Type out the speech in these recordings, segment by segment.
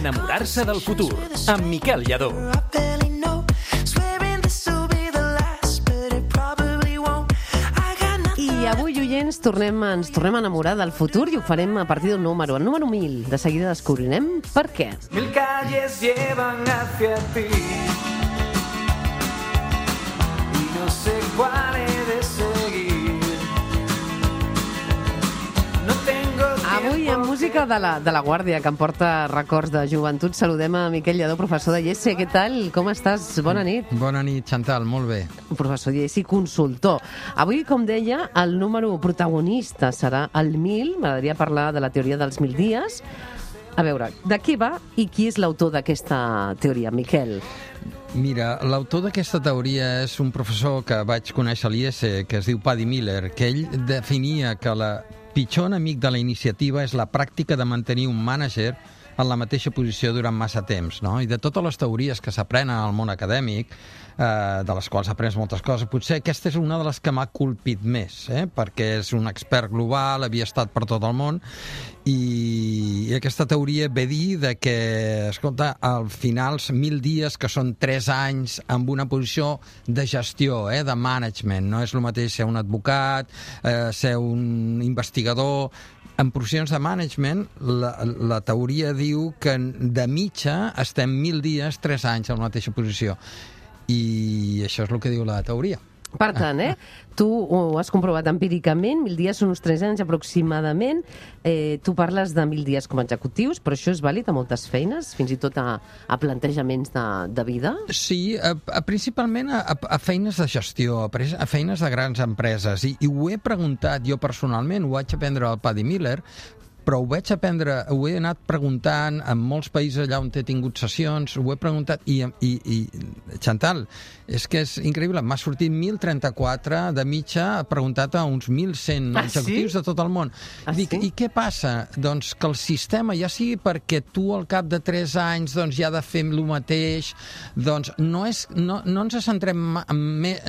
Enamorar-se del futur, amb Miquel Lladó. I avui, oients, ens tornem a enamorar del futur i ho farem a partir d'un número, el número 1000. De seguida descobrirem per què. 1000 calles llevan hacia ti y no sé cuál he de seguir. No tengo Avui, amb música de la Guàrdia, que em porta records de joventut, saludem a Miquel Lladó, professor de IES. Què tal? Com estàs? Bona nit. Bona nit, Chantal, molt bé. Professor de IES i consultor. Avui, com deia, el número protagonista serà el 1000. M'agradaria parlar de la teoria dels 1000 dies. A veure, de què va i qui és l'autor d'aquesta teoria, Miquel? Mira, l'autor d'aquesta teoria és un professor que vaig conèixer a l'IES, que es diu Paddy Miller, que ell definia que la pitjor enemic de la iniciativa és la pràctica de mantenir un mànager en la mateixa posició durant massa temps, no? I de totes les teories que s'aprenen al món acadèmic, de les quals aprens moltes coses, potser aquesta és una de les que m'ha colpit més, perquè és un expert global, havia estat per tot el món, i aquesta teoria ve a dir de que, escolta, al final 1000 dies, que són 3 anys amb una posició de gestió, de management, no és el mateix ser un advocat, ser un investigador. En posicions de management, la teoria diu que de mitja estem 1000 dies, 3 anys en la mateixa posició. I això és el que diu la teoria. Per tant, tu ho has comprovat empíricament, 1000 dies són uns 3 anys aproximadament. Tu parles de 1000 dies com a executius, però això és vàlid a moltes feines, fins i tot a plantejaments de vida? Sí, principalment a feines de gestió, a feines de grans empreses. I ho he preguntat jo personalment, ho vaig aprendre al Paddy Miller, però ho he anat preguntant en molts països allà on he tingut sessions, ho he preguntat, i Chantal, és que és increïble, m'ha sortit 1034 de mitja, preguntat a uns 1.100 executius de tot el món. Dic, i què passa? Doncs que el sistema, ja sigui perquè tu al cap de 3 anys ja ha de fer el mateix, doncs no ens centrem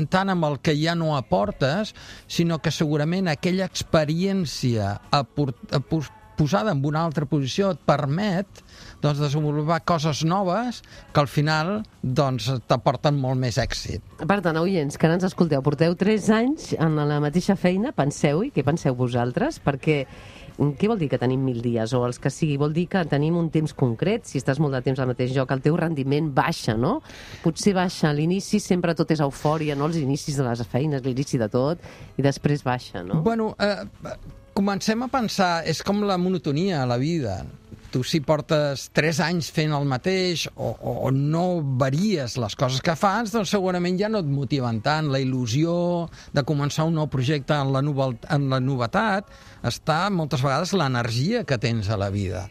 tant en el que ja no aportes, sinó que segurament aquella experiència posada en una altra posició et permet desenvolupar coses noves que al final t'aporten molt més èxit. Per tant, oients, que ens escolteu, porteu 3 anys en la mateixa feina, penseu-hi, què penseu vosaltres? Perquè què vol dir que tenim 1000 dies? O els que sigui, vol dir que tenim un temps concret, si estàs molt de temps al mateix lloc, el teu rendiment baixa, no? Potser baixa a l'inici, sempre tot és eufòria, no? Els inicis de les feines, l'inici de tot, i després baixa, no? Bueno, comencem a pensar, és com la monotonia a la vida. Tu si portes 3 anys fent el mateix o no varies les coses que fas, doncs segurament ja no et motiven tant. La il·lusió de començar un nou projecte en la novetat està moltes vegades l'energia que tens a la vida.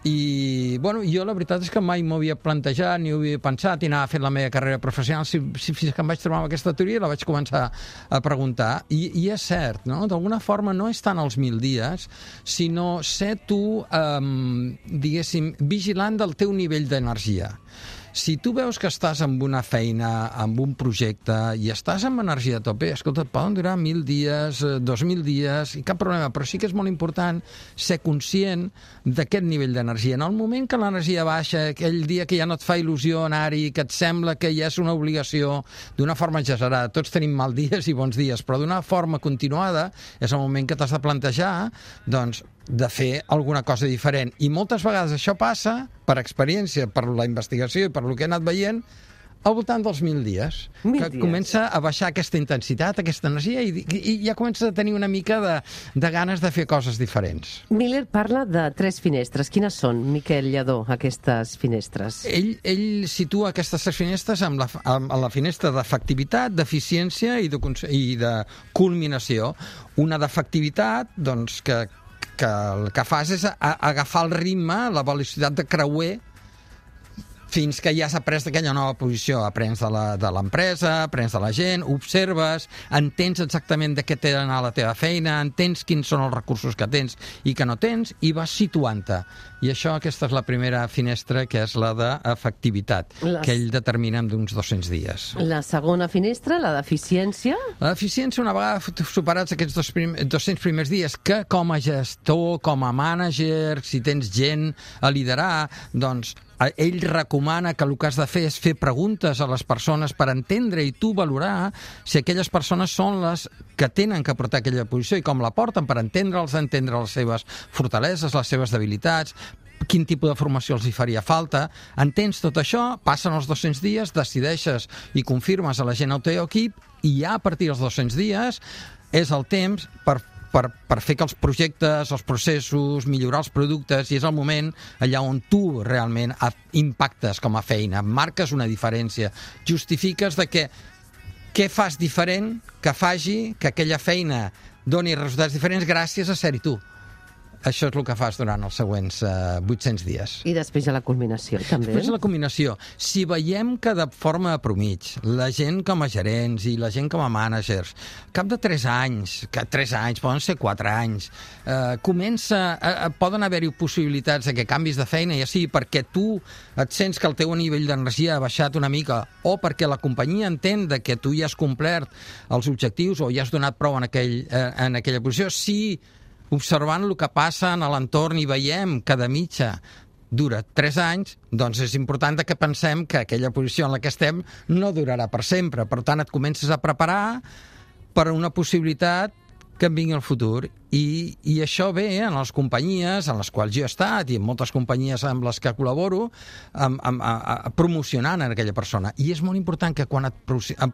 I, bueno, jo la veritat és que mai m'ho havia plantejat, ni ho havia pensat, i anava fent la meva carrera professional. Fins que em vaig trobar amb aquesta teoria, la vaig començar a preguntar. I és cert, no? D'alguna forma no és tant els 1000 dies, sinó ser tu, diguéssim, vigilant del teu nivell d'energia. Si tu veus que estàs en una feina, en un projecte, i estàs amb energia a tope, escolta, et poden durar 1000 dies, 2000 dies, i cap problema, però sí que és molt important ser conscient d'aquest nivell d'energia. En el moment que l'energia baixa, aquell dia que ja no et fa il·lusió anar-hi, que et sembla que ja és una obligació, d'una forma exagerada, tots tenim mal dies i bons dies, però d'una forma continuada, és el moment que t'has de plantejar, doncs, de fer alguna cosa diferent. I moltes vegades això passa, per experiència, per la investigació i per el que he anat veient, al voltant dels 1000 dies. Que comença a baixar aquesta intensitat, aquesta energia, i ja comença a tenir una mica de ganes de fer coses diferents. Miller parla de 3 finestres. Quines són, Miquel Lladó, aquestes finestres? Ell situa aquestes 3 finestres amb la finestra d'efectivitat, d'eficiència i de culminació. Una d'efectivitat, doncs, que el que fas és agafar el ritme, la velocitat de creuer fins que ja has après d'aquella nova posició. Aprens de l'empresa, aprens de la gent, observes, entens exactament de què té d'anar la teva feina, entens quins són els recursos que tens i que no tens, i vas situant-te. I aquesta és la primera finestra, que és la d'efectivitat, que ell determina en d'uns 200 dies. La segona finestra, la d'eficiència? La d'eficiència, una vegada superats aquests 200 primers dies, que com a gestor, com a mànager, si tens gent a liderar, doncs ell recomana que el que has de fer és fer preguntes a les persones per entendre i tu valorar si aquelles persones són les que tenen que portar aquella posició i com la porten, per entendre les seves fortaleses, les seves debilitats, quin tipus de formació els hi faria falta. Entens tot això, passen els 200 dies, decideixes i confirmes a la gent al teu equip, i ja a partir dels 200 dies és el temps per fer que els projectes, els processos, millorar els productes, i és el moment allà on tu realment impactes com a feina, marques una diferència, justifiques de què fas diferent que faci que aquella feina doni resultats diferents gràcies a ser-hi tu. Això és el que fas durant els següents 800 dies. I després hi ha la culminació, també. Després de la culminació. Si veiem que de forma de promig, la gent com a gerents i la gent com a mànagers, cap de 3 anys, que 3 anys, poden ser 4 anys, poden haver-hi possibilitats de que canvis de feina, ja sigui perquè tu et sents que el teu nivell d'energia ha baixat una mica, o perquè la companyia entén que tu ja has complert els objectius o ja has donat prou en aquella posició. Si observant el que passa a l'entorn i veiem que de mitja dura 3 anys, doncs és important que pensem que aquella posició en la que estem no durarà per sempre. Per tant, et comences a preparar per una possibilitat que en vingui al futur. I això ve en les companyies en les quals jo he estat i en moltes companyies amb les que col·laboro promocionant a aquella persona. I és molt important que quan et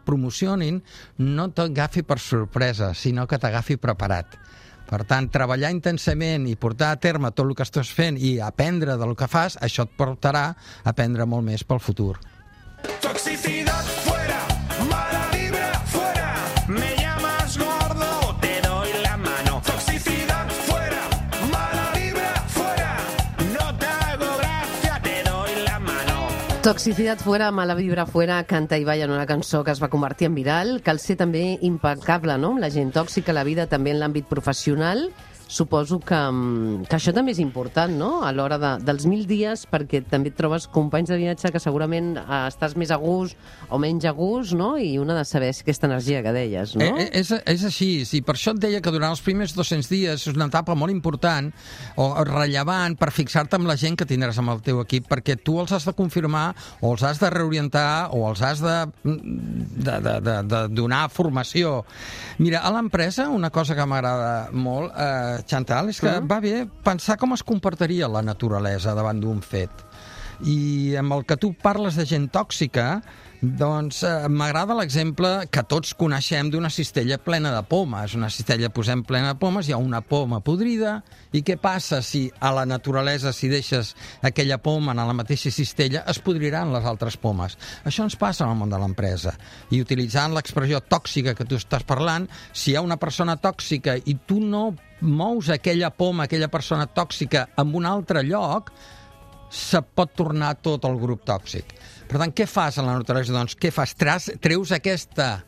promocionin no t'agafi per sorpresa, sinó que t'agafi preparat. Per tant, treballar intensament i portar a terme tot el que estàs fent i aprendre del que fas, això et portarà a aprendre molt més pel futur. Toxicidad fuera, mala vibra fuera, me llamas gordo, te doy la mano. Toxicidad fuera, mala vibra fuera, no te hago gracia, te doy la mano. Toxicidad fuera, mala vibra fuera, canta Ibai en una cançó que es va convertir en viral. Cal ser també impecable, no?, amb la gent tòxica a la vida, també en l'àmbit professional. Suposo que això també és important, no?, a l'hora dels 1000 dies, perquè també et trobes companys de viatge que segurament estàs més a gust o menys a gust, no?, i una de saber aquesta energia que deies, no? És així, i per això et deia que durant els primers 200 dies és una etapa molt important o rellevant per fixar-te amb la gent que tindràs amb el teu equip, perquè tu els has de confirmar o els has de reorientar o els has de donar formació. Mira, a l'empresa una cosa que m'agrada molt, Chantal, és que va bé pensar com es comportaria la naturalesa davant d'un fet. I amb el que tu parles de gent tòxica, doncs m'agrada l'exemple que tots coneixem d'una cistella plena de pomes. Una cistella posem plena de pomes, hi ha una poma podrida, i què passa si a la naturalesa, si deixes aquella poma en la mateixa cistella, es podriran les altres pomes. Això ens passa en el món de l'empresa. I utilitzant l'expressió tòxica que tu estàs parlant, si hi ha una persona tòxica i tu no mous aquella poma, aquella persona tòxica en un altre lloc, se pot tornar tot el grup tòxic. Per tant, què fas a la naturalesa? Doncs què fas? Treus aquesta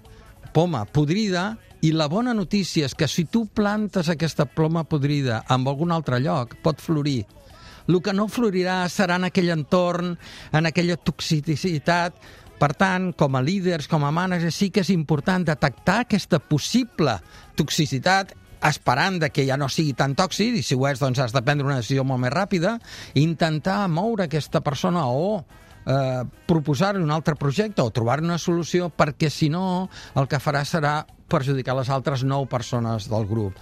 poma podrida, i la bona notícia és que si tu plantes aquesta poma podrida en algun altre lloc, pot florir. El que no florirà serà en aquell entorn, en aquella toxicitat. Per tant, com a líders, com a mànagers, sí que és important detectar aquesta possible toxicitat, esperant que ja no sigui tan tòxic, i si ho és, doncs has de prendre una decisió molt més ràpida, intentar moure aquesta persona o proposar-li un altre projecte o trobar una solució, perquè si no el que farà serà perjudicar les altres 9 persones del grup,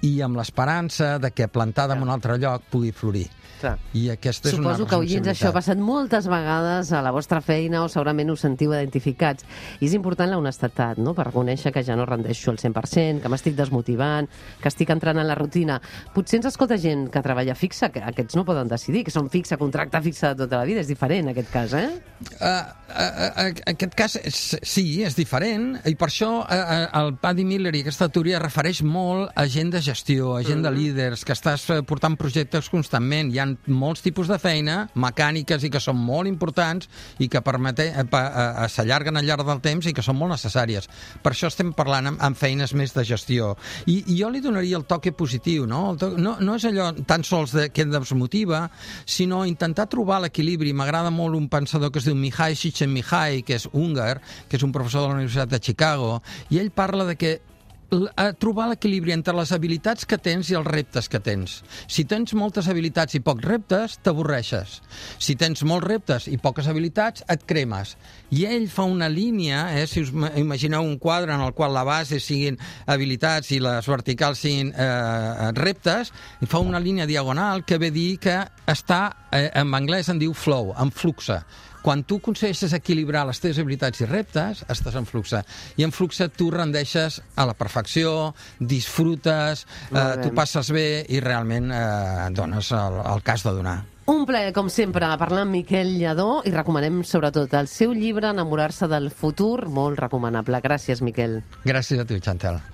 i amb l'esperança de que plantada en un altre lloc pugui florir. Clar. I aquesta és una Suposo que oients això ha passat moltes vegades a la vostra feina o segurament us sentiu identificats. I és important la honestedat, no?, per reconèixer que ja no rendeixo al 100%, que m'estic desmotivant, que estic entrant en la rutina. Potser ens escolta gent que treballa fixa, que aquests no poden decidir, que són fixa, contracte fixa de tota la vida. És diferent, en aquest cas, aquest cas, sí, és diferent, i per això el Paddy Miller i aquesta teoria refereix molt a gent de gestió, gent de líders, que estàs portant projectes constantment. Hi ha molts tipus de feina, mecàniques i que són molt importants i que s'allarguen al llarg del temps i que són molt necessàries. Per això estem parlant amb feines més de gestió. I jo li donaria el toque positiu, no? No és allò tan sols que ens motiva, sinó intentar trobar l'equilibri. M'agrada molt un pensador que es diu Mihai Csikszentmihalyi, que és húngar, que és un professor de la Universitat de Chicago, i ell parla de que trobar l'equilibri entre les habilitats que tens i els reptes que tens. Si tens moltes habilitats i pocs reptes, t'avorreixes. Si tens molts reptes i poques habilitats, et cremes. I ell fa una línia, si us imagineu un quadre en el qual la base siguin habilitats i les verticals siguin reptes, i fa una línia diagonal que ve dir que està, en anglès en diu flow, en fluxe. Quan tu aconsegueixes equilibrar les teves habilitats i reptes, estàs en fluxe. I en fluxe tu rendeixes a la perfecció, disfrutes, tu passes bé i realment dones el cas de donar. Un plaer, com sempre, parlar amb Miquel Lladó i recomanem sobretot el seu llibre Enamorar-se del futur, molt recomanable. Gràcies, Miquel. Gràcies a tu, Chantal.